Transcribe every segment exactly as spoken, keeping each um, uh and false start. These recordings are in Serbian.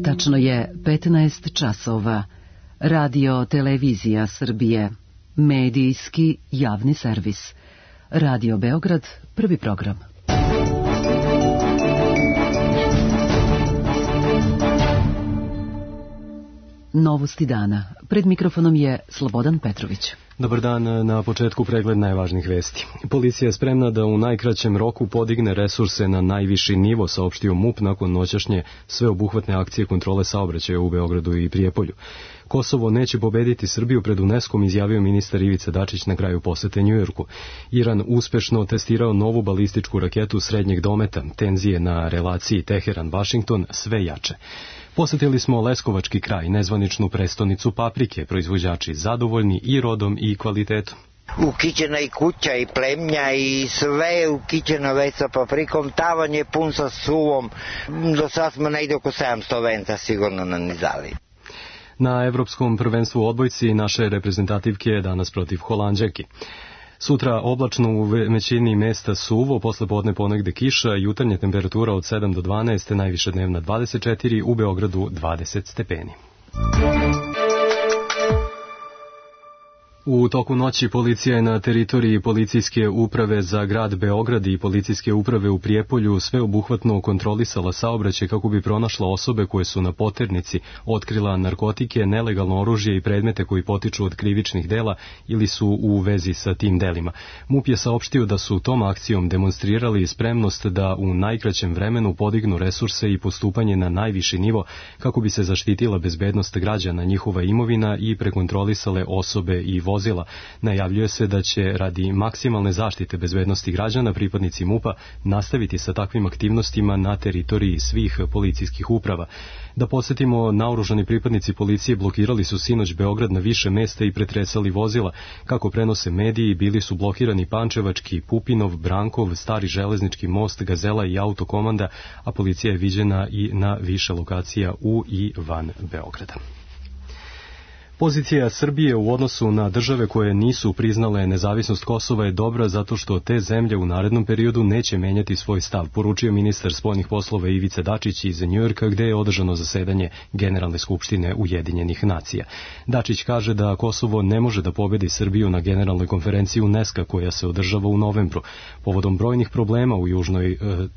Tačno je petnaest časova. Radio Televizija Srbije. Medijski javni servis. Radio Beograd, prvi program. Novosti dana. Pred mikrofonom je Slobodan Petrović. Dobar dan, na početku pregled najvažnijih vesti. Policija je spremna da u najkraćem roku podigne resurse na najviši nivo, saopštio MUP nakon noćašnje sveobuhvatne akcije kontrole saobraćaja u Beogradu i Prijepolju. Kosovo neće pobediti Srbiju pred UNESCO-om, izjavio ministar Ivica Dačić na kraju posete Njujorku. Iran uspešno testirao novu balističku raketu srednjeg dometa. Tenzije na relaciji Teheran-Vašington sve jače. Posetili smo Leskovački kraj, nezvaničnu prestonicu paprike, proizvođači zadovoljni i rodom i kvalitetom. Ukićena i kuća i plemnja i sve ukićeno već sa paprikom, tavan je pun sa suvom, do sad smo negdje oko sedamsto venca sigurno nanizali. Na Evropskom prvenstvu u odbojci naše reprezentativke je danas protiv Holanđanki. Sutra oblačno u većini mesta suvo, posle podne ponegde kiša, jutarnja temperatura od sedam do dvanaest, najviša dnevna dvadeset četiri, u Beogradu dvadeset stepeni. U toku noći policija je na teritoriji policijske uprave za grad Beograd i policijske uprave u Prijepolju sveobuhvatno kontrolisala saobraćaj kako bi pronašla osobe koje su na poternici, otkrila narkotike, nelegalno oružje i predmete koji potiču od krivičnih dela ili su u vezi sa tim delima. MUP je saopštio da su tom akcijom demonstrirali spremnost da u najkraćem vremenu podignu resurse i postupanje na najviši nivo kako bi se zaštitila bezbednost građana, njihova imovina i prekontrolisale osobe i vozila. Vozila. Najavljuje se da će radi maksimalne zaštite bezbednosti građana pripadnici MUP-a nastaviti sa takvim aktivnostima na teritoriji svih policijskih uprava. Da podsjetimo, naoružani pripadnici policije blokirali su sinoć Beograd na više mesta i pretresali vozila. Kako prenose mediji, bili su blokirani Pančevački, Pupinov, Brankov, Stari železnički most, Gazela i Autokomanda, a policija je viđena i na više lokacija u i van Beograda. Pozicija Srbije u odnosu na države koje nisu priznale nezavisnost Kosova je dobra zato što te zemlje u narednom periodu neće menjati svoj stav, poručio ministar spoljnih poslova Ivica Dačić iz Njujorka, gde je održano zasedanje Generalne skupštine Ujedinjenih nacija. Dačić kaže da Kosovo ne može da pobedi Srbiju na Generalnoj konferenciji UNESCO koja se održava u novembru. Povodom brojnih problema u južnoj e, e,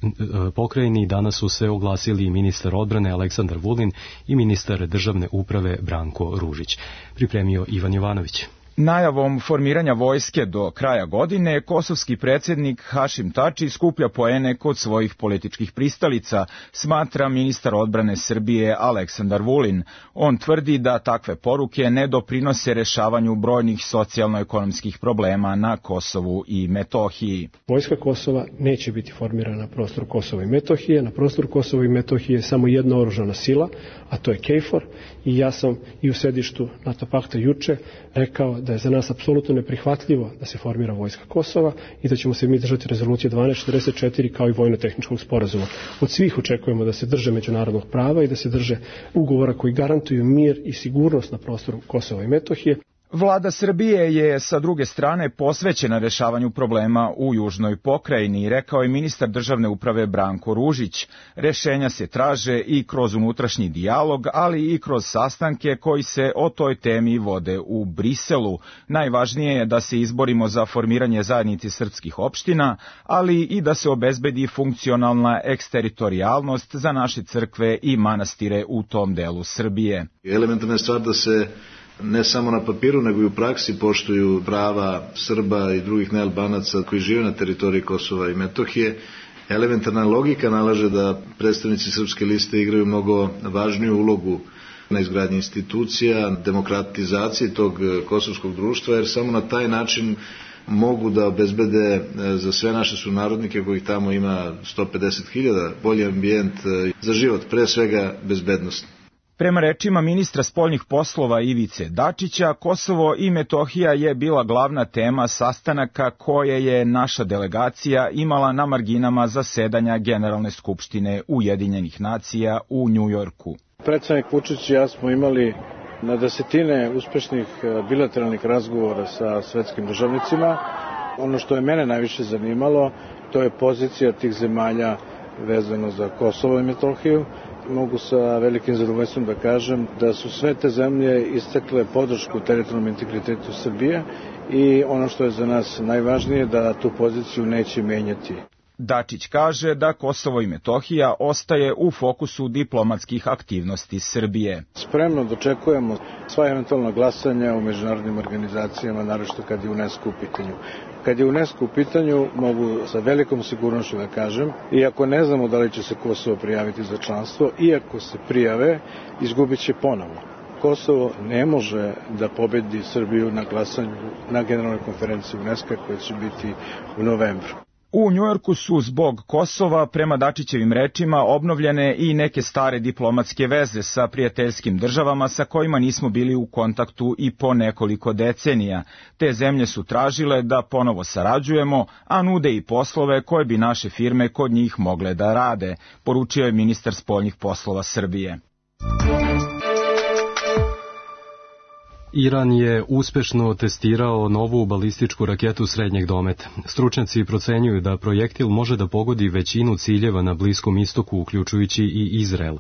pokrajini danas su se oglasili ministar odbrane Aleksandar Vulin i ministar državne uprave Branko Ružić. Pripremio Ivan Jovanović. Najavom formiranja vojske do kraja godine, kosovski predsjednik Hašim Tači skuplja poene kod svojih političkih pristalica, smatra ministar odbrane Srbije Aleksandar Vulin. On tvrdi da takve poruke ne doprinose rešavanju brojnih socijalno-ekonomskih problema na Kosovu i Metohiji. Vojska Kosova neće biti formirana na prostoru Kosova i Metohije. Na prostoru Kosova i Metohije je samo jedna oružana sila, a to je KFOR. I ja sam i u sedištu NATO pakta juče rekao da je za nas apsolutno neprihvatljivo da se formira vojska Kosova i da ćemo se mi držati rezolucije dvanaest četrdeset četiri kao i vojno-tehničkog sporazuma. Od svih očekujemo da se drže međunarodnog prava i da se drže ugovora koji garantuju mir i sigurnost na prostoru Kosova i Metohije. Vlada Srbije je sa druge strane posvećena rešavanju problema u južnoj pokrajini, rekao je ministar državne uprave Branko Ružić. Rešenja se traže i kroz unutrašnji dijalog, ali i kroz sastanke koji se o toj temi vode u Briselu. Najvažnije je da se izborimo za formiranje zajednice srpskih opština, ali i da se obezbedi funkcionalna eksteritorijalnost za naše crkve i manastire u tom delu Srbije. Elementarna je stvar da se ne samo na papiru, nego i u praksi poštuju prava Srba i drugih nealbanaca koji žive na teritoriji Kosova i Metohije. Elementarna logika nalaže da predstavnici Srpske liste igraju mnogo važniju ulogu na izgradnji institucija, demokratizaciji tog kosovskog društva, jer samo na taj način mogu da obezbede za sve naše sunarodnike, kojih tamo ima sto pedeset hiljada, bolji ambijent za život, pre svega bezbednost. Prema rečima ministra spoljnih poslova Ivice Dačića, Kosovo i Metohija je bila glavna tema sastanaka koje je naša delegacija imala na marginama zasedanja Generalne skupštine Ujedinjenih nacija u Njujorku. Predsednik Vučić i ja smo imali na desetine uspešnih bilateralnih razgovora sa svetskim državnicima. Ono što je mene najviše zanimalo, to je pozicija tih zemalja vezano za Kosovo i Metohiju. Mogu sa velikim zadovoljstvom da kažem da su sve te zemlje istakle podršku teritorijalnom integritetu Srbije i ono što je za nas najvažnije da tu poziciju neće menjati. Dačić kaže da Kosovo i Metohija ostaje u fokusu diplomatskih aktivnosti Srbije. Spremno dočekujemo sva eventualna glasanja u međunarodnim organizacijama, naročito kad je UNESCO u pitanju. Kad je UNESCO u pitanju, mogu sa velikom sigurnošću da kažem, iako ne znamo da li će se Kosovo prijaviti za članstvo, iako se prijave, izgubit će ponovo. Kosovo ne može da pobedi Srbiju na glasanju na generalnoj konferenciji UNESCO koja će biti u novembru. U Njujorku su zbog Kosova, prema Dačićevim rečima, obnovljene i neke stare diplomatske veze sa prijateljskim državama sa kojima nismo bili u kontaktu i po nekoliko decenija. Te zemlje su tražile da ponovo sarađujemo, a nude i poslove koje bi naše firme kod njih mogle da rade, poručio je ministar spoljnih poslova Srbije. Iran je uspešno testirao novu balističku raketu srednjeg dometa. Stručnjaci procenjuju da projektil može da pogodi većinu ciljeva na Bliskom istoku, uključujući i Izrael.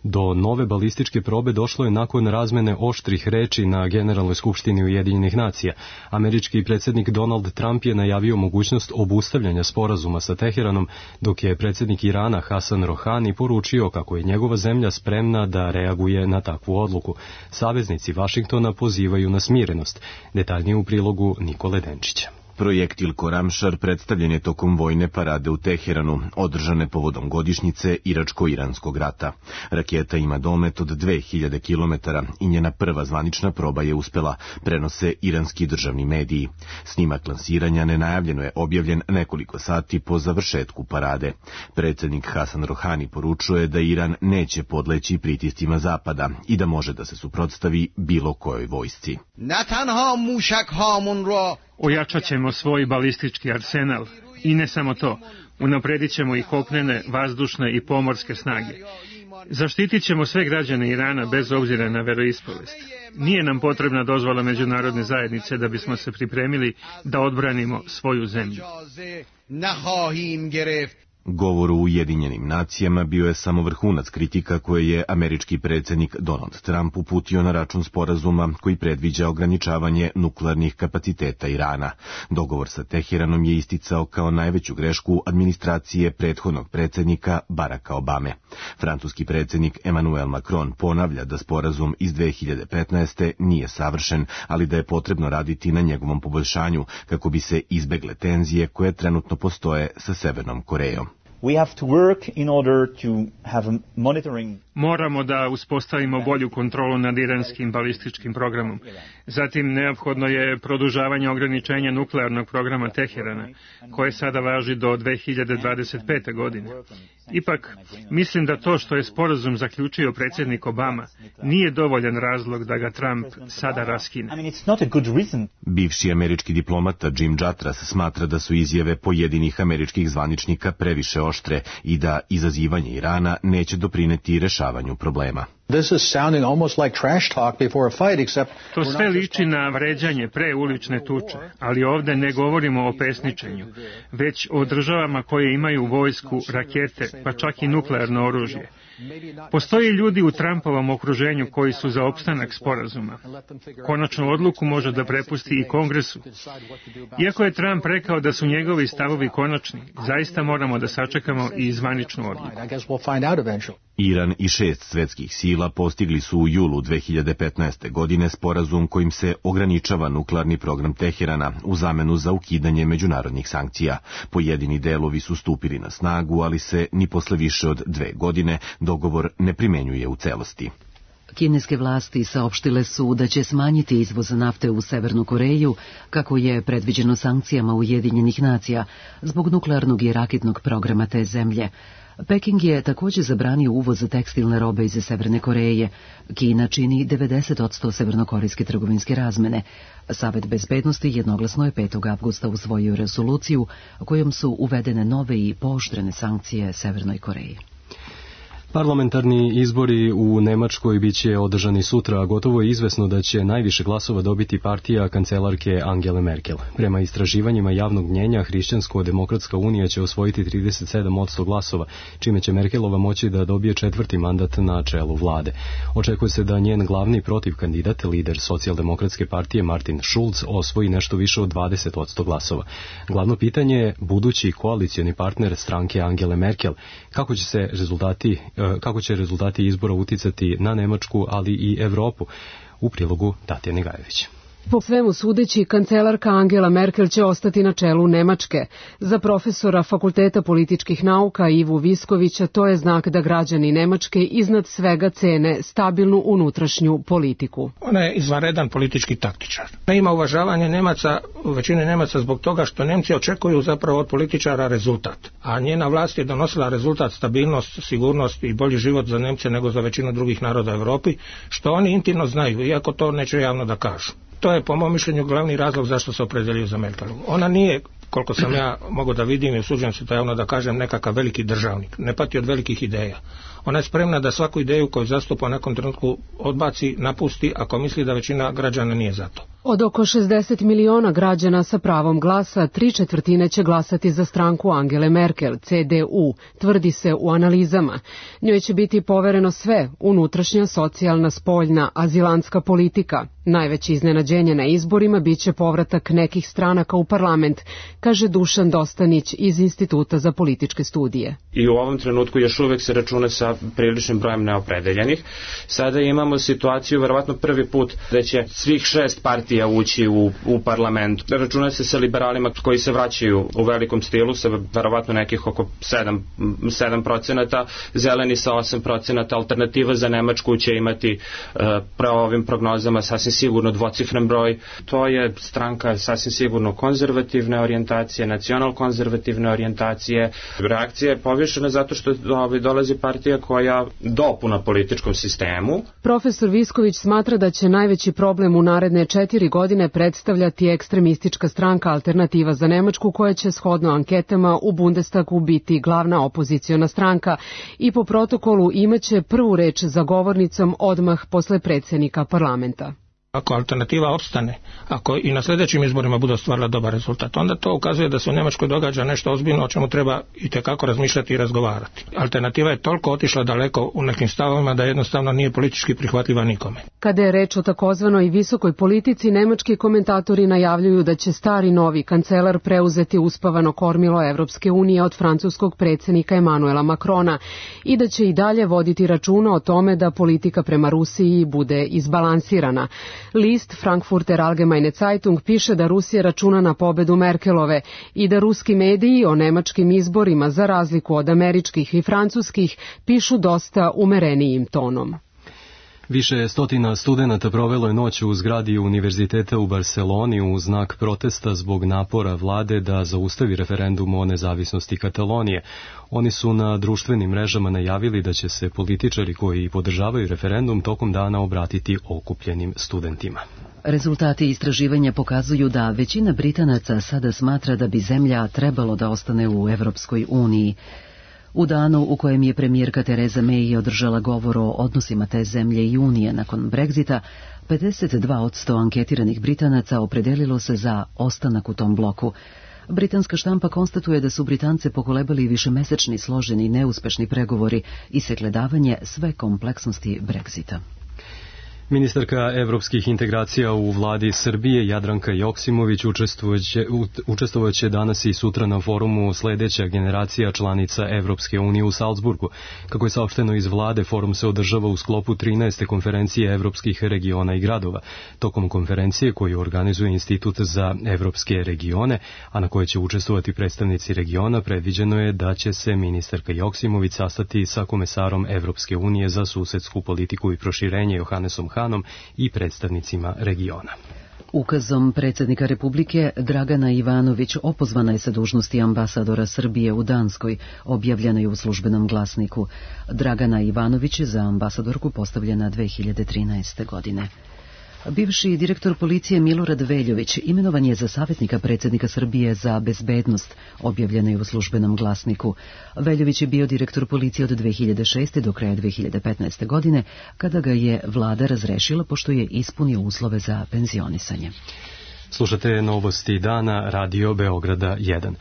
Do nove balističke probe došlo je nakon razmene oštrih reči na Generalnoj skupštini Ujedinjenih nacija. Američki predsjednik Donald Trump je najavio mogućnost obustavljanja sporazuma sa Teheranom, dok je predsjednik Irana Hasan Rohani poručio kako je njegova zemlja spremna da reaguje na takvu odluku. Saveznici Vašingtona pozivaju na smirenost. Detaljnije u prilogu Nikole Denčića. Projektil Koramšar predstavljen je tokom vojne parade u Teheranu, održane povodom godišnjice Iračko-Iranskog rata. Raketa ima domet od dve hiljade kilometara i njena prva zvanična proba je uspela, prenose iranski državni mediji. Snimak lansiranja nenajavljeno je objavljen nekoliko sati po završetku parade. Predsjednik Hasan Rohani poručuje da Iran neće podleći pritiscima Zapada i da može da se suprotstavi bilo kojoj vojsci. Ojačat ćemo svoj balistički arsenal i ne samo to, unapredit ćemo i kopnene, vazdušne i pomorske snage. Zaštitit ćemo sve građane Irana bez obzira na veroispovest. Nije nam potrebna dozvola međunarodne zajednice da bismo se pripremili da odbranimo svoju zemlju. Govor u Ujedinjenim nacijama bio je samo vrhunac kritika koje je američki predsjednik Donald Trump uputio na račun sporazuma koji predviđa ograničavanje nuklearnih kapaciteta Irana. Dogovor sa Teheranom je isticao kao najveću grešku administracije prethodnog predsjednika Baracka Obame. Francuski predsjednik Emmanuel Macron ponavlja da sporazum iz dve hiljade petnaeste. nije savršen, ali da je potrebno raditi na njegovom poboljšanju kako bi se izbegle tenzije koje trenutno postoje sa Severnom Korejom. We have to work in order to have a monitoring. Moramo da uspostavimo bolju kontrolu nad iranskim balističkim programom. Zatim neophodno je produžavanje ograničenja nuklearnog programa Teherana, koje sada važi do dve hiljade dvadeset pete. godine. Ipak, mislim da to što je sporazum zaključio predsjednik Obama nije dovoljan razlog da ga Trump sada raskine. I mean, it's not a good reason. Bivši američki diplomata Jim Jatras smatra da su izjave pojedinih američkih zvaničnika previše oštre i da izazivanje Irana neće doprineti rešavanju problema. This is sounding almost like trash talk before a fight, except to sve liči na vređanje pre ulične tuče, ali ovde ne govorimo o pesničenju, već o državama koje imaju vojsku, rakete, pa čak i nuklearno oružje. Postoji ljudi u Trumpovom okruženju koji su za opstanak sporazuma. Konačnu odluku može da prepusti i Kongresu. Iako je Trump rekao da su njegovi stavovi konačni, zaista moramo da sačekamo i zvaničnu odluku. Iran i šest svetskih sila postigli su u julu dve hiljade petnaeste. godine sporazum kojim se ograničava nuklearni program Teherana u zamenu za ukidanje međunarodnih sankcija. Pojedini delovi su stupili na snagu, ali se ni posle više od dve godine dogovor ne primenjuje u celosti. Kineske vlasti saopštile su da će smanjiti izvoz nafte u Severnu Koreju, kako je predviđeno sankcijama Ujedinjenih nacija, zbog nuklearnog i raketnog programa te zemlje. Peking je također zabranio uvoz tekstilne robe iz Severne Koreje. Kina čini devedeset posto severnokorejske trgovinske razmene. Savet bezbednosti jednoglasno je petog avgusta usvojio rezoluciju kojom su uvedene nove i pooštrene sankcije Severnoj Koreji. Parlamentarni izbori u Nemačkoj biće održani sutra, a gotovo je izvesno da će najviše glasova dobiti partija kancelarke Angele Merkel. Prema istraživanjima javnog mnjenja, Hrišćansko-demokratska unija će osvojiti trideset sedam posto glasova, čime će Merkelova moći da dobije četvrti mandat na čelu vlade. Očekuje se da njen glavni protivkandidat, lider socijaldemokratske partije Martin Schulz, osvoji nešto više od dvadeset posto glasova. Glavno pitanje je budući koalicioni partner stranke Angele Merkel, kako će se rezultati kako će rezultati izbora uticati na Nemačku, ali i Evropu. U prilogu Tatjane Gajević. Po svemu sudeći, kancelarka Angela Merkel će ostati na čelu Nemačke. Za profesora Fakulteta političkih nauka Ivu Viskovića to je znak da građani Nemačke iznad svega cene stabilnu unutrašnju politiku. Ona je izvanredan politički taktičar. Ne ima uvažavanje Nemaca, većine Nemaca zbog toga što Nemci očekuju zapravo od političara rezultat. A njena vlast je donosila rezultat, stabilnost, sigurnost i bolji život za Nemce nego za većinu drugih naroda u Europi, što oni intimno znaju, iako to neće javno da kažu. To je po mom mišljenju glavni razlog zašto se opredelio za Merkelu. Ona nije, koliko sam ja mogu da vidim i usuđujem se to javno da kažem, nekakav veliki državnik. Ne pati od velikih ideja. Ona je spremna da svaku ideju koju zastupa u nekom trenutku odbaci, napusti ako misli da većina građana nije za to. Od oko šezdeset miliona građana sa pravom glasa, tri četvrtine će glasati za stranku Angele Merkel, C D U, tvrdi se u analizama. Njoj će biti povereno sve, unutrašnja, socijalna, spoljna, azilantska politika. Najveće iznenađenje na izborima biće povratak nekih stranaka u parlament, kaže Dušan Dostanić iz Instituta za političke studije. I u ovom trenutku još uvek se računa sa priličnim brojem neopredeljenih. Sada imamo situaciju, verovatno prvi put, da će svih šest partija ući u, u parlament. Računa se sa liberalima koji se vraćaju u velikom stilu, sa verovatno nekih oko sedam procenata, zeleni sa osam procenata, alternativa za Nemačku će imati uh, pravo ovim prognozama sasvim sigurno dvocifren broj. To je stranka sasvim sigurno konzervativne orijentacije, nacional-konzervativne orijentacije. Reakcija je povišena zato što ovaj, dolazi partija koja dopuna političkom sistemu. Profesor Visković smatra da će najveći problem u naredne četiri godine predstavljati ekstremistička stranka Alternativa za Nemačku, koja će shodno anketama u Bundestagu biti glavna opoziciona stranka i po protokolu imaće prvu reč za govornicom odmah posle predsjednika parlamenta. Ako alternativa opstane, ako i na sljedećim izborima bude ostvarila dobar rezultat, onda to ukazuje da se u Nemačkoj događa nešto ozbiljno o čemu treba itekako razmišljati i razgovarati. Alternativa je toliko otišla daleko u nekim stavovima da jednostavno nije politički prihvatljiva nikome. Kada je reč o takozvanoj visokoj politici, nemački komentatori najavljuju da će stari novi kancelar preuzeti uspavano kormilo Evropske unije od francuskog predsjednika Emanuela Macrona i da će i dalje voditi računa o tome da politika prema Rusiji bude izbalansirana. List Frankfurter Allgemeine Zeitung piše da Rusija računa na pobedu Merkelove i da ruski mediji o nemačkim izborima, za razliku od američkih i francuskih, pišu dosta umerenijim tonom. Više stotina studenata provelo je noć u zgradi Univerziteta u Barceloni u znak protesta zbog napora vlade da zaustavi referendum o nezavisnosti Katalonije. Oni su na društvenim mrežama najavili da će se političari koji podržavaju referendum tokom dana obratiti okupljenim studentima. Rezultati istraživanja pokazuju da većina Britanaca sada smatra da bi zemlja trebalo da ostane u Evropskoj uniji. U danu u kojem je premijerka Tereza May održala govor o odnosima te zemlje i Unije nakon Brexita, pedeset dva posto anketiranih Britanaca opredelilo se za ostanak u tom bloku. Britanska štampa konstatuje da su Britance pokolebali višemesečni složeni neuspešni pregovori i sagledavanje sve kompleksnosti Brexita. Ministarka evropskih integracija u vladi Srbije Jadranka Joksimović učestvovaće danas i sutra na forumu Sledeća generacija članica Evropske unije u Salzburgu. Kako je saopšteno iz vlade, forum se održava u sklopu trinaeste konferencije evropskih regiona i gradova. Tokom konferencije koju organizuje Institut za evropske regione, a na kojoj će učestvovati predstavnici regiona, predviđeno je da će se ministarka Joksimović sastati sa komesarom Evropske unije za susedsku politiku i proširenje Johannesom Hanom i predstavnicima regiona. Ukazom predsjednika Republike Dragana Ivanović opozvana je sa dužnosti ambasadora Srbije u Danskoj, objavljeno je u službenom glasniku. Dragana Ivanović je za ambasadorku postavljena dve hiljade trinaeste. godine. Bivši direktor policije Milorad Veljović imenovan je za savjetnika predsjednika Srbije za bezbednost, objavljeno je u Službenom glasniku. Veljović je bio direktor policije od dve hiljade šeste. do kraja dve hiljade petnaeste. godine, kada ga je vlada razrešila pošto je ispunio uslove za penzionisanje. Slušate novosti dana, Radio Beograda jedan.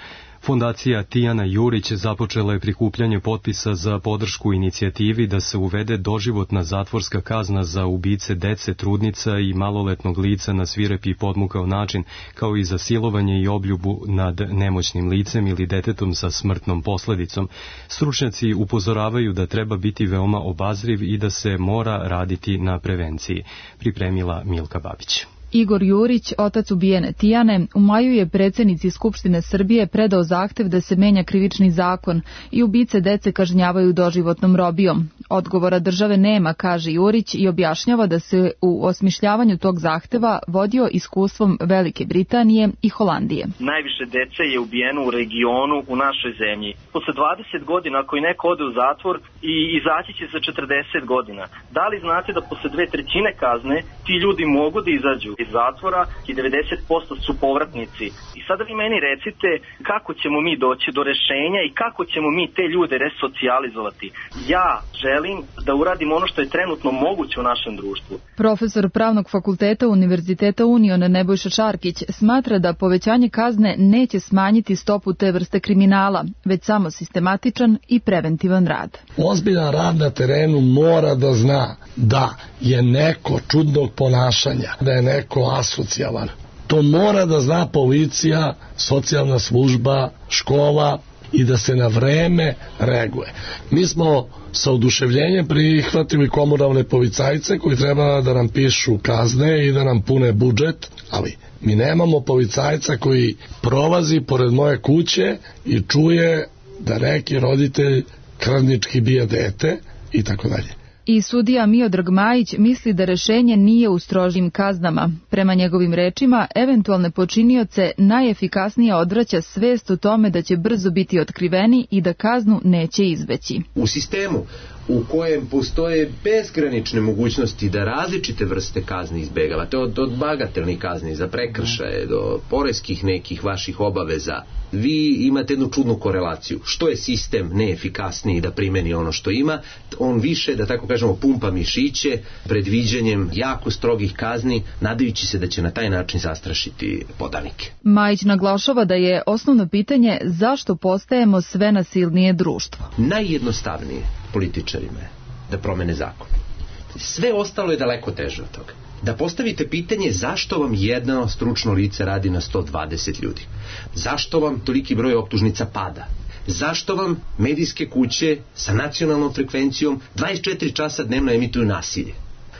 Fondacija Tijana Jurić započela je prikupljanje potpisa za podršku inicijativi da se uvede doživotna zatvorska kazna za ubice dece, trudnica i maloletnog lica na svirep i podmukao način, kao i za silovanje i obljubu nad nemoćnim licem ili detetom sa smrtnom posledicom. Stručnjaci upozoravaju da treba biti veoma obazriv i da se mora raditi na prevenciji. Pripremila Milka Babić. Igor Jurić, otac ubijene Tijane, u maju je predsjednici Skupštine Srbije predao zahtev da se menja krivični zakon i ubice dece kažnjavaju doživotnom robijom. Odgovora države nema, kaže Jurić, i objašnjava da se u osmišljavanju tog zahteva vodio iskustvom Velike Britanije i Holandije. Najviše dece je ubijeno u regionu u našoj zemlji. Posle dvadeset godina, ako i neko ode u zatvor, i izaći će za četrdeset godina. Da li znate da posle dve trećine kazne ti ljudi mogu da izađu iz zatvora i devedeset posto su povratnici? I sada vi meni recite kako ćemo mi doći do rešenja i kako ćemo mi te ljude resocijalizovati. Ja želim da uradim ono što je trenutno moguće u našem društvu. Profesor Pravnog fakulteta Univerziteta Union Nebojša Čarkić smatra da povećanje kazne neće smanjiti stopu te vrste kriminala, već samo sistematičan i preventivan rad. Ozbiljan rad na terenu mora da zna da je neko čudnog ponašanja, da je neko asocijalan. To mora da zna policija, socijalna služba, škola i da se na vreme reaguje. Mi smo sa oduševljenjem prihvatili komunalne policajce koji treba da nam pišu kazne i da nam pune budžet, ali mi nemamo policajca koji prolazi pored moje kuće i čuje da neki roditelj krvnički bije dete i tako dalje. I sudija Miodrag Majić misli da rešenje nije u strožim kaznama. Prema njegovim rečima, eventualne počinioce najefikasnije odvraća svest o tome da će brzo biti otkriveni i da kaznu neće izbeći. U sistemu u kojem postoje bezgranične mogućnosti da različite vrste kazni izbegavate, od, od bagatelnih kazni za prekršaje do poreskih nekih vaših obaveza, vi imate jednu čudnu korelaciju. Što je sistem neefikasniji da primeni ono što ima, on više, da tako kažemo, pumpa mišiće predviđanjem jako strogih kazni, nadajući se da će na taj način zastrašiti podanike. Majić naglašava da je osnovno pitanje zašto postajemo sve nasilnije društvo. Najjednostavnije političarima je da promene zakon. Sve ostalo je daleko teže od toga. Da postavite pitanje zašto vam jedno stručno lice radi na sto dvadeset ljudi. Zašto vam toliki broj optužnica pada. Zašto vam medijske kuće sa nacionalnom frekvencijom dvadeset četiri časa dnevno emituju nasilje.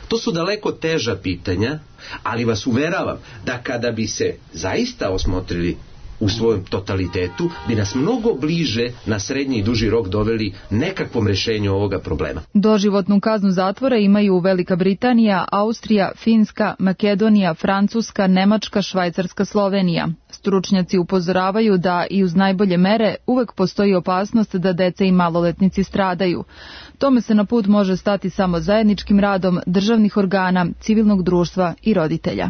To su daleko teža pitanja, ali vas uveravam da kada bi se zaista osmotrili u svojem totalitetu, bi nas mnogo bliže na srednji i duži rok doveli nekakvom rešenju ovoga problema. Doživotnu kaznu zatvora imaju Velika Britanija, Austrija, Finska, Makedonija, Francuska, Nemačka, Švajcarska, Slovenija. Stručnjaci upozoravaju da i uz najbolje mere uvek postoji opasnost da deca i maloletnici stradaju. Tome se na put može stati samo zajedničkim radom državnih organa, civilnog društva i roditelja.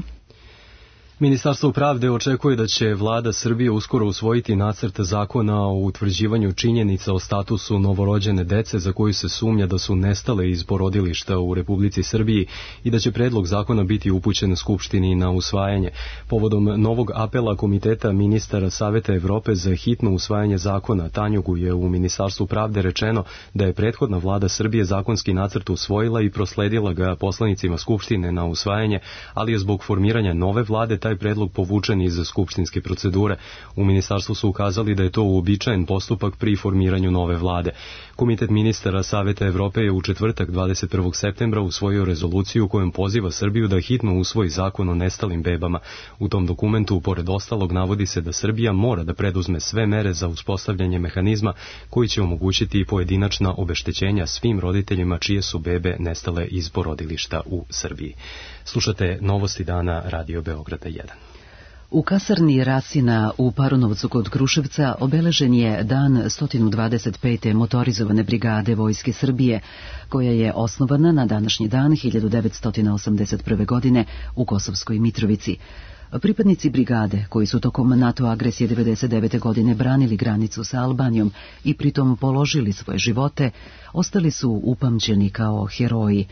Ministarstvo pravde očekuje da će vlada Srbije uskoro usvojiti nacrt zakona o utvrđivanju činjenica o statusu novorođene dece za koju se sumnja da su nestale iz porodilišta u Republici Srbiji i da će predlog zakona biti upućen Skupštini na usvajanje. Povodom novog apela Komiteta ministara Saveta Evrope za hitno usvajanje zakona, Tanjugu je u Ministarstvu pravde rečeno da je prethodna vlada Srbije zakonski nacrt usvojila i prosledila ga poslanicima Skupštine na usvajanje, ali je zbog formiranja nove vlade taj predlog povučen iz skupštinske procedure. U ministarstvu su ukazali da je to uobičajen postupak pri formiranju nove vlade. Komitet ministara Saveta Evrope je u četvrtak dvadeset prvog septembra usvojio rezoluciju kojom poziva Srbiju da hitno usvoji zakon o nestalim bebama. U tom dokumentu, pored ostalog, navodi se da Srbija mora da preduzme sve mere za uspostavljanje mehanizma koji će omogućiti pojedinačna obeštećenja svim roditeljima čije su bebe nestale iz porodilišta u Srbiji. Slušate novosti dana Radio Beograda jedan. U kasarni Rasina u Paronovcu kod Kruševca obeležen je dan sto dvadeset pete motorizovane brigade Vojske Srbije, koja je osnovana na današnji dan hiljadu devetsto osamdeset prve. godine u Kosovskoj Mitrovici. Pripadnici brigade, koji su tokom NATO agresije devedeset devete. godine branili granicu sa Albanijom i pritom položili svoje živote, ostali su upamćeni kao heroji.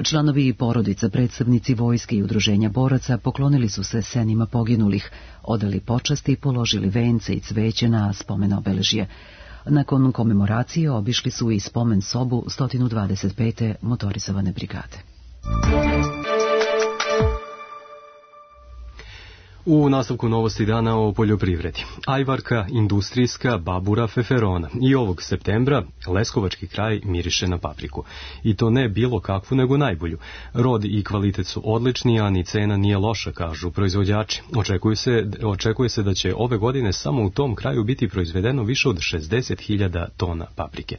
Članovi i porodica, predstavnici vojske i udruženja boraca poklonili su se senima poginulih, odali počasti i položili vence i cveće na spomen obeležje. Nakon komemoracije obišli su i spomen sobu sto dvadeset pete motorizovane brigade. U nastavku novosti dana o poljoprivredi. Ajvarka, industrijska, babura, feferona. I ovog septembra leskovački kraj miriše na papriku. I to ne bilo kakvu, nego najbolju. Rod i kvalitet su odlični, a ni cena nije loša, kažu proizvođači. Očekuje se, očekuje se da će ove godine samo u tom kraju biti proizvedeno više od šezdeset hiljada tona paprike.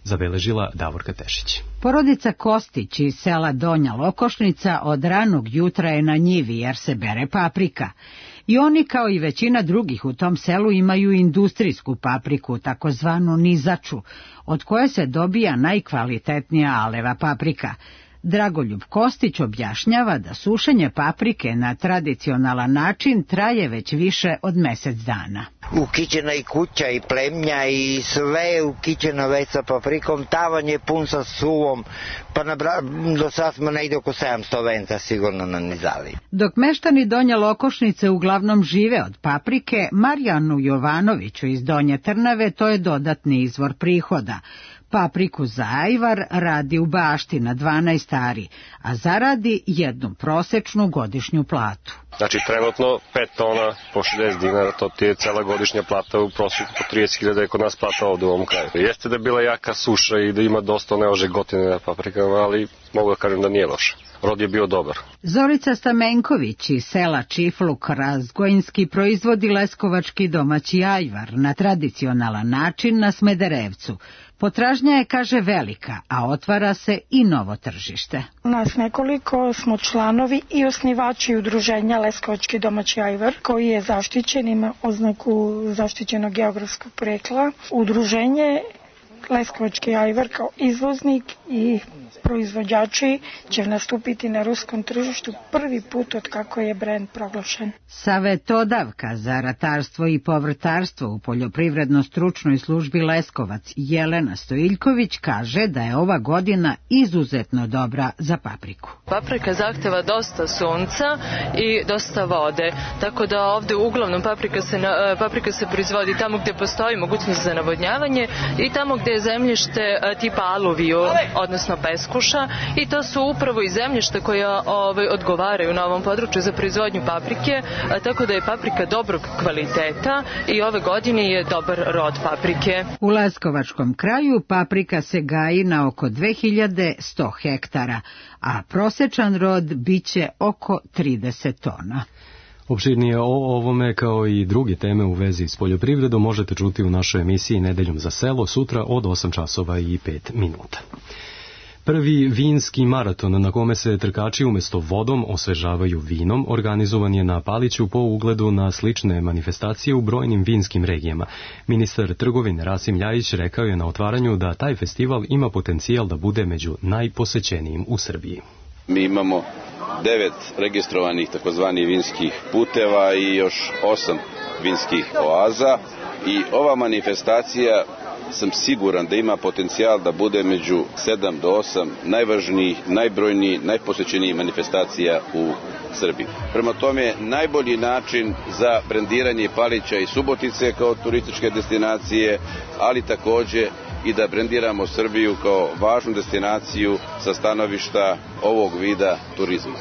Zabeležila Davorka Tešić. Porodica Kostić iz sela Donja Lokošnica od ranog jutra je na njivi jer se bere paprika. I oni, kao i većina drugih u tom selu, imaju industrijsku papriku, takozvanu nizaču, od koje se dobija najkvalitetnija aleva paprika. Dragoljub Kostić objašnjava da sušenje paprike na tradicionalan način traje već više od mesec dana. Ukićena i kuća i plemnja i sve ukićeno već sa paprikom, tavan je pun sa suvom, pa na bra... do sad smo negdje oko sedamsto venca sigurno nanizali. Dok meštani Donje Lokošnice uglavnom žive od paprike, Marijanu Jovanoviću iz Donje Trnave to je dodatni izvor prihoda. Papriku za ajvar radi u bašti na dvanaest ari, a zaradi jednu prosečnu godišnju platu. Znači trenutno pet tona po šezdeset dinara, to ti je cela godišnja plata, u prosjeku po trideset hiljada je kod nas plata ovdje u ovom kraju. Jeste da je bila jaka suša i da ima dosta neožegotine na paprikama, ali mogu da kažem da nije loše. Rod je bio dobar. Zorica Stamenković iz sela Čifluk Razgojinski proizvodi leskovački domaći ajvar na tradicionalan način na Smederevcu. Potražnja je, kaže, velika, a otvara se i novo tržište. Nas nekoliko smo članovi i osnivači udruženja Leskovački domaći ajvar, koji je zaštićen, ima oznaku zaštićenog geografskog porekla. Udruženje Leskovački ajvar kao izvoznik i proizvođači će nastupiti na ruskom tržištu prvi put od kako je brend proglašen. Savetodavka za ratarstvo i povrtarstvo u poljoprivredno-stručnoj službi Leskovac Jelena Stojiljković kaže da je ova godina izuzetno dobra za papriku. Paprika zahteva dosta sunca i dosta vode, tako da ovdje uglavnom paprika se, paprika se proizvodi tamo gdje postoji mogućnost za navodnjavanje i tamo gdje je zemljište tipa aluviju, odnosno peskuša, i to su upravo i zemljišta koja ovaj, odgovaraju na ovom području za proizvodnju paprike, a, tako da je paprika dobrog kvaliteta i ove godine je dobar rod paprike. U Leskovačkom kraju paprika se gaji na oko dve hiljade sto hektara, a prosečan rod biće oko trideset tona. Opširnije o ovome kao i druge teme u vezi s poljoprivredom možete čuti u našoj emisiji Nedeljom za selo sutra od osam časova i pet minuta. Prvi vinski maraton na kome se trkači umjesto vodom osvežavaju vinom organizovan je na Paliću po ugledu na slične manifestacije u brojnim vinskim regijama. Ministar trgovine Rasim Ljajić rekao je na otvaranju da taj festival ima potencijal da bude među najposećenijim u Srbiji. Mi imamo devet registrovanih takozvanih vinskih puteva i još osam vinskih oaza i ova manifestacija sam siguran da ima potencijal da bude među sedam do osam najvažnijih, najbrojnijih, najposećenijih manifestacija u Srbiji. Prema tome, najbolji način za brendiranje Palića i Subotice kao turističke destinacije, ali također i da brendiramo Srbiju kao važnu destinaciju sa stanovišta ovog vida turizma.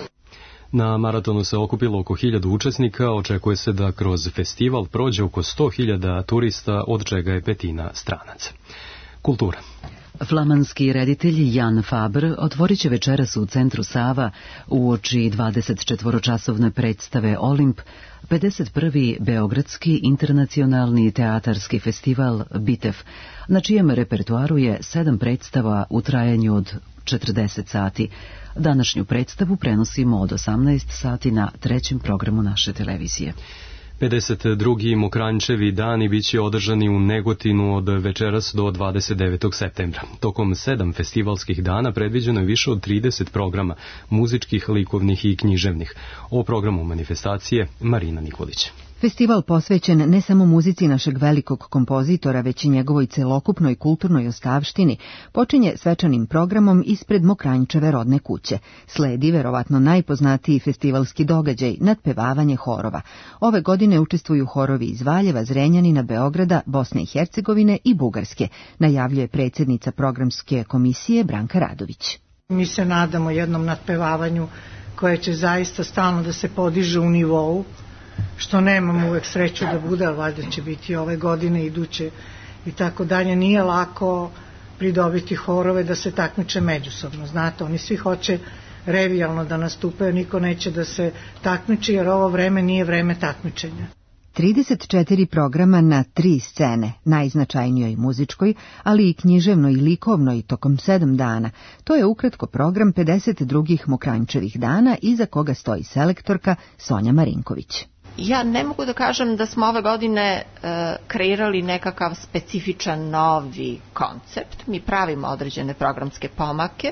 Na maratonu se okupilo oko hiljadu učesnika, očekuje se da kroz festival prođe oko sto hiljada turista, od čega je petina stranaca. Kultura. Flamanski reditelj Jan Faber otvorit će večeras u centru Sava uoči dvadesetčetvoročasovne predstave Olimp pedeset prvi Beogradski internacionalni teatarski festival Bitev, na čijem repertuaru je sedam predstava u trajanju od četrdeset sati. Današnju predstavu prenosimo od osamnaest sati na trećem programu naše televizije. pedeset drugi Mokranjčevi dani biće održani u Negotinu od večeras do dvadeset devetog septembra. Tokom sedam festivalskih dana predviđeno je više od trideset programa, muzičkih, likovnih i književnih. O programu manifestacije Marina Nikolić. Festival posvećen ne samo muzici našeg velikog kompozitora, već i njegovoj celokupnoj kulturnoj ostavštini, počinje svečanim programom ispred Mokranjčeve rodne kuće. Sledi verovatno najpoznatiji festivalski događaj, nadpevavanje horova. Ove godine učestvuju horovi iz Valjeva, Zrenjanina, Beograda, Bosne i Hercegovine i Bugarske, najavljuje predsjednica programske komisije Branka Radović. Mi se nadamo jednom nadpevavanju koje će zaista stalno da se podiže u nivou, što nemamo uvek sreću da bude, ali valjda će biti ove godine, iduće i tako dalje. Nije lako pridobiti horove da se takmiče međusobno. Znate, oni svi hoće revijalno da nastupaju, niko neće da se takmiči, jer ovo vreme nije vreme takmičenja. trideset četiri programa na tri scene, najznačajnijoj muzičkoj, ali i književnoj i likovnoj tokom sedam dana. To je ukratko program pedeset drugih Mokranjčevih dana, iza koga stoji selektorka Sonja Marinković. Ja ne mogu da kažem da smo ove godine e, kreirali nekakav specifičan novi koncept. Mi pravimo određene programske pomake,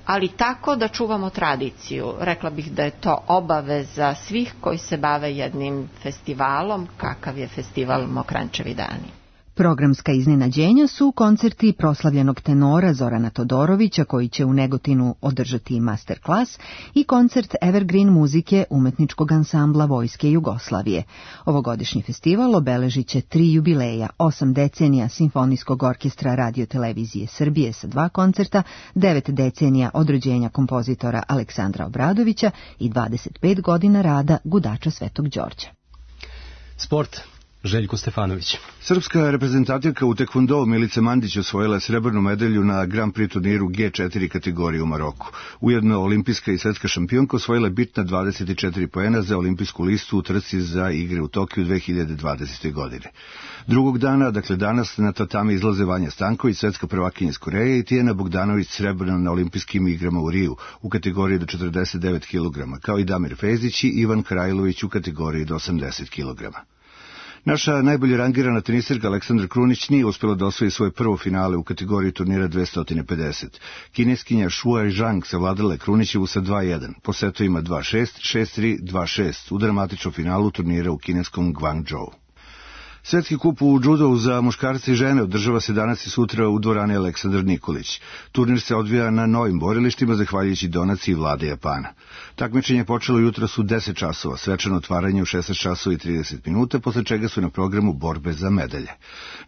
ali tako da čuvamo tradiciju. Rekla bih da je to obaveza svih koji se bave jednim festivalom, kakav je festival Mokranjčevi dani. Programska iznenađenja su koncerti proslavljenog tenora Zorana Todorovića, koji će u Negotinu održati master klas, i koncert evergreen muzike umetničkog ansambla Vojske Jugoslavije. Ovogodišnji festival obeležit će tri jubileja, osam decenija Simfonijskog orkestra Radio-televizije Srbije sa dva koncerta, devet decenija od rođenja kompozitora Aleksandra Obradovića i dvadeset pet godina rada gudača Svetog Đorđa. Sport. Željko Stefanović. Srpska reprezentativka u tekvondou Milica Mandić osvojila srebrnu medalju na Grand Prix turniru G četiri kategorije u Maroku. Ujedno olimpijska i svetska šampionka osvojila bitna dvadeset četiri poena za olimpijsku listu u trci za igre u Tokiju dve hiljade dvadesete. godine. Drugog dana, dakle danas, na tatami izlaze Vanja Stanković, svetska prvakinja iz Koreje, i Tijana Bogdanović srebrna na olimpijskim igrama u Riju u kategoriji do četrdeset devet kilograma, kao i Damir Fezić i Ivan Krajlović u kategoriji do osamdeset kilograma. Naša najbolje rangirana tenisirka Aleksandra Krunić nije uspjela da osvoji svoje prvo finale u kategoriji turnira dvesta pedeset. Kineskinja Shuai Zhang savladala je Krunićevu sa dva jedan, po setovima dva šest, šest tri, dva šest u dramatičnom finalu turnira u kineskom Guangzhou. Svetski kup u džudovu za muškarce i žene održava se danas i sutra u dvorani Aleksandar Nikolić. Turnir se odvija na novim borilištima zahvaljujući donaciji vlade Japana. Takmičenje je počelo jutros u deset časova, svečano otvaranje u šesnaest časova i trideset minuta, posle čega su na programu borbe za medalje.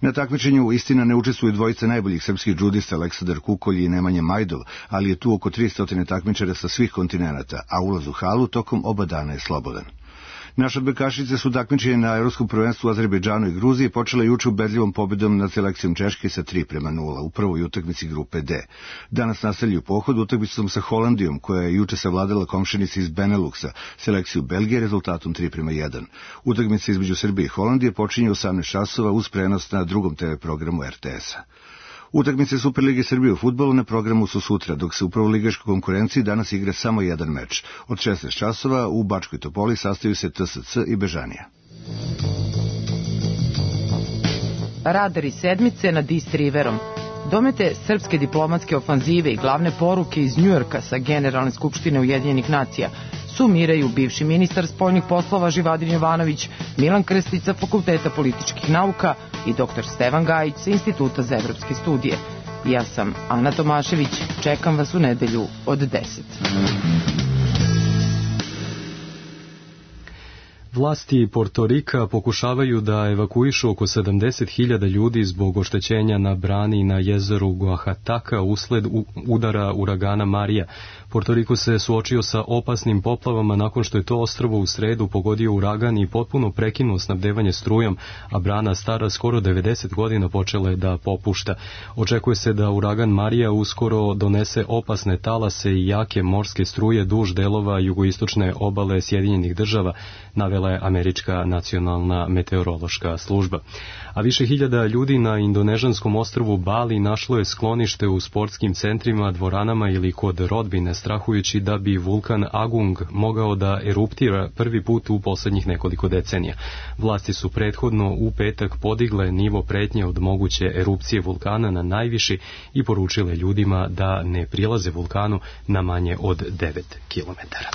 Na takmičenju istina ne učestvuju dvojica najboljih srpskih džudista Aleksandar Kukolj i Nemanja Majdov, ali je tu oko tristo takmičara sa svih kontinenata, a ulaz u halu tokom oba dana je slobodan. Naše odbojkašice su takmičenje na Evropskom prvenstvu u Azerbejdžanu i Gruziji počele juče ubedljivom pobedom nad selekcijom Češke sa tri prema nula u prvoj utakmici grupe D. Danas nastavljaju pohod utakmicom sa Holandijom, koja je juče savladala komšinici iz Beneluxa, selekciju Belgije rezultatom tri prema jedan. Utakmica između Srbije i Holandije počinje u osamnaest časova uz prenos na drugom te ve programu er te esa. Utakmice Superlige Srbije u fudbalu na programu su sutra, dok se u prvoligaškoj konkurenciji danas igra samo jedan meč. Od šesnaest časova u Bačkoj Topoli sastaju se te es ce i Bežanija. Radari sedmice nad East Riverom. Domete srpske diplomatske ofanzive i glavne poruke iz Njujorka sa Generalne skupštine Ujedinjenih nacija sumiraju bivši ministar spoljnih poslova Živadin Jovanović, Milan Krstić sa Fakulteta političkih nauka i doktor Stevan Gajić sa Instituta za evropske studije. Ja sam Ana Tomašević, čekam vas u nedelju od deset. Vlasti Portorika pokušavaju da evakuišu oko sedamdeset hiljada ljudi zbog oštećenja na brani na jezeru Guahataka usled udara uragana Marija. Portoriko se suočio sa opasnim poplavama nakon što je to ostrvo u sredu pogodio uragan i potpuno prekinuo snabdevanje strujom, a brana stara skoro devedeset godina počela je da popušta. Očekuje se da uragan Marija uskoro donese opasne talase i jake morske struje duž delova jugoistočne obale Sjedinjenih država, navela je Američka nacionalna meteorološka služba. A više hiljada ljudi na indonežanskom ostrvu Bali našlo je sklonište u sportskim centrima, dvoranama ili kod rodbine, strahujući da bi vulkan Agung mogao da eruptira prvi put u poslednjih nekoliko decenija. Vlasti su prethodno u petak podigle nivo pretnje od moguće erupcije vulkana na najviši i poručile ljudima da ne prilaze vulkanu na manje od devet kilometara.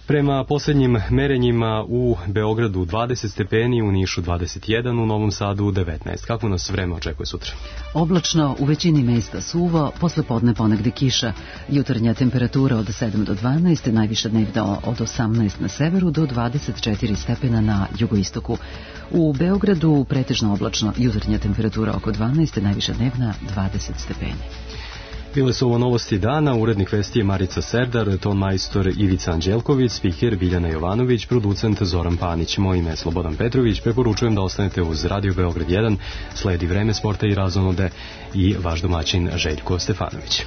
Prema posljednjim merenjima u Beogradu dvadeset stepeni, u Nišu dvadeset jedan, u Novom Sadu devetnaest. Kako nas vreme očekuje sutra? Oblačno, u većini mesta suvo, posle podne ponegde kiša. Jutarnja temperatura od sedam do dvanaest, najviše dnevno od osamnaest na severu do dvadeset četiri stepena na jugoistoku. U Beogradu pretežno oblačno, jutarnja temperatura oko dvanaest, najviše dnevna dvadeset stepeni. Bile su ovo novosti dana, urednik vesti je Marica Serdar, ton majstor Ivica Anđelković, spiker Biljana Jovanović, producent Zoran Panić. Moje ime je Slobodan Petrović, preporučujem da ostanete uz Radio Beograd jedan, sledi vreme sporta i razonode i vaš domaćin Željko Stefanović.